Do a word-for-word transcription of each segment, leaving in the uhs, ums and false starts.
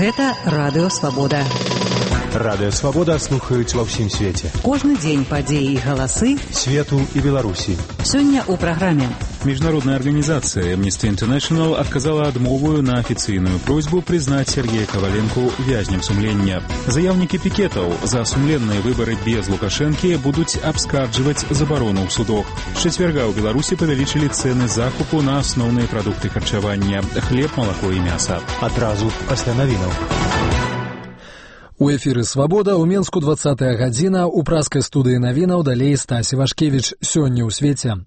Гэта Радыё Свабода. Радыё Свабода слухаюць ва ўсім свеце. Кожны дзень падзеі і галасы свету і Беларусі. Сёння ў праграме. Международная организация Amnesty International отказала адмову на официальную просьбу признать Сергея Коваленко вязнем сумлення. Заявники пикетов за сумленные выборы без Лукашенки будут обскардживать заборону в судах. С четверга у Беларуси повеличили цены закупу на основные продукты харчевания – хлеб, молоко и мясо. Адразу пасля навінаў. У эфіры «Свабода» ў Менску двадцатая гадзіна, у праскай студыі навінаў далей Стась Івашкевіч. Сёння ў свеце.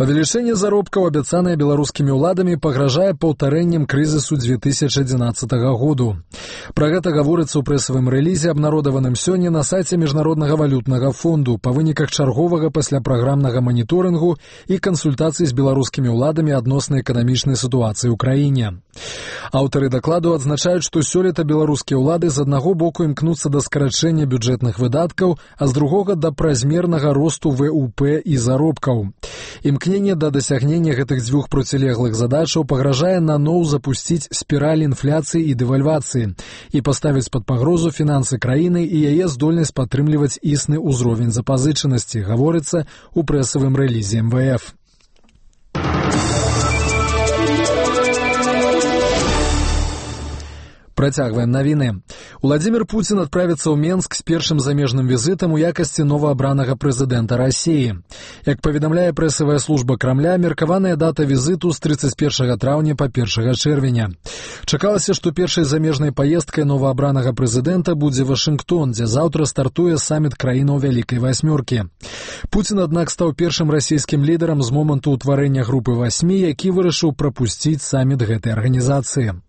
Павелічэнне заробкаў, абяцанае беларускімі ўладамі, пагражае паўтарэннем крызісу две тысячи одиннадцатого году. Пра гэта гаворыцца ў прэсавым рэлізе, абнародаваным сёння на сайце Міжнароднага валютнага фонду па выніках чарговага пасляпраграмнага маніторынгу і кансультацый з беларускімі ўладамі адносна эканамічнай сітуацыі ў краіне. Аўтары дакладу адзначаюць, што сёлета беларускія ўлады з аднаго боку імкнуцца да скарачэння бюджэтных выдаткаў, а з другога да празмернага росту вэ у пэ і заробкаў. Імкненне да дасягнення гэтых дзвюх процілеглых задачаў пагражае наноў запусціць спіраль інфляцыі і дэвальвацыі і паставіць пад пагрозу фінансы краіны і яе здольнасць падтрымліваць існы ўзровень запазычанасці, гаворыцца ў прэсавым рэлізе эм вэ эф. Працягваем навіны. Уладзімір Пуцін адправіцца ў Менск з першым замежным візітам у якасці новаабранага прэзідэнта Расіі. Як паведамляе прэсавая служба Крамля, меркаваная дата візіту з трыццаць першага траўня па першага чэрвеня. Чакалася, што першай замежнай паездкай новаабранага прэзідэнта будзе Вашынгтон, дзе заўтра стартуе саміт краінаў Вялікай Васьмёркі. Пуцін, аднак, стаў першым расійскім лідарам з моманту ўтварэння групы васьмі, які вырашыў прапусціць саміт гэтай арганізацыі.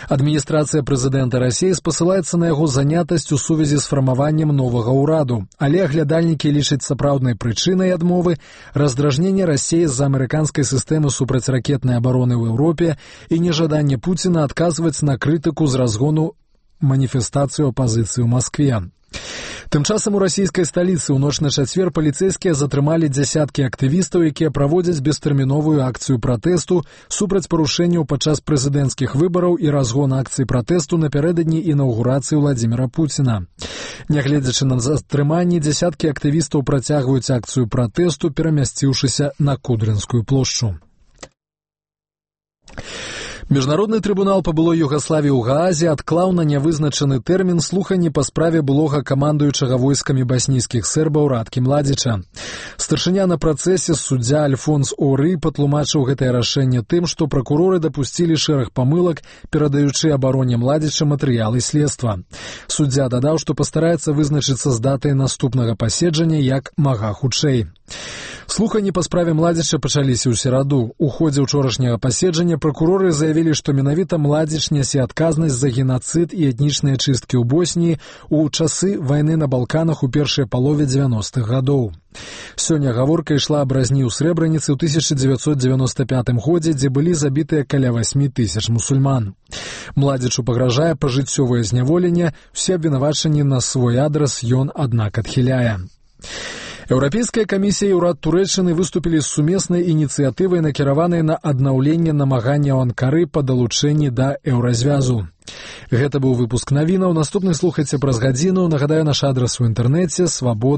Адміністрацыя прэзідэнта Расіі спасылаецца на яго занятасць у сувязі з фармаваннем новага ўраду, але аглядальнікі лічаць сапраўднай прычынай адмовы раздражненне Расіі з-за амерыканскай сістэмы супрацьракетнай абароны ў Еўропе і нежаданне Пуціна адказваць на крытыку з разгону маніфестацыю апазіцыі ў Маскве. Тым часам у расійскай сталіцы ў ноч на чацвер паліцэйскія затрымалі дзясяткі актывістаў, якія праводзяць бестэрміновую акцыю пратэсту супраць парушэнняў падчас прэзідэнцкіх выбараў і разгон акцыі пратэсту напярэдадні інаўгурацыі Владзіміра Пуціна. Нягледзячы на затрыманні, дзясяткі актывістаў працягваюць акцыю пратэсту, перамясціўшыся на Кудрынскую плошчу. Міжнародны трыбунал па былой Югаславіі ў Гаазе адклаў на нявызначаны тэрмін слуханні па справе былога камандуючага войскамі баснійскіх сербаў Радкі Младзіча. Старшыня на працэсе суддзя Альфонс Оры патлумачыў гэтае рашэнне тым, што пракуроры дапусцілі шэраг памылак, перадаючы абароне Младзіча матэрыялы следства. Суддзя дадаў, што пастараецца вызначыцца з датай наступнага паседжання як мага хутчэй. Слуханні па справе Младзіча пачаліся ў сераду. У ходзе ўчорашняга паседжання пракуроры заявілі, што менавіта Младзіч нясе адказнасць за генацыд і этнічныя чысткі ў Босніі ў часы вайны на Балканах у першай палове дзевяностых гадоў. Сёння гаворка ішла аб разні ў Срэбраніцы ў тысяча дзевяцьсот дзевяноста пятым годзе, дзе былі забітыя каля васьмі тысяч мусульман. Младзічу пагражае пажыццёвае зняволенне, усе абвінавачанні на свой адрас ён, аднак, адхіляе. Еўрапейская камісія і ўрад Турэччыны выступілі з сумеснай ініцыятывай, накіраванай на аднаўленне намаганняў Анкары па далучэнні да еўразвязу. Гэта быў выпуск навінаў. Наступны слухайце праз гадзіну. Нагадаю, наш адрас у інтэрнэце свабода.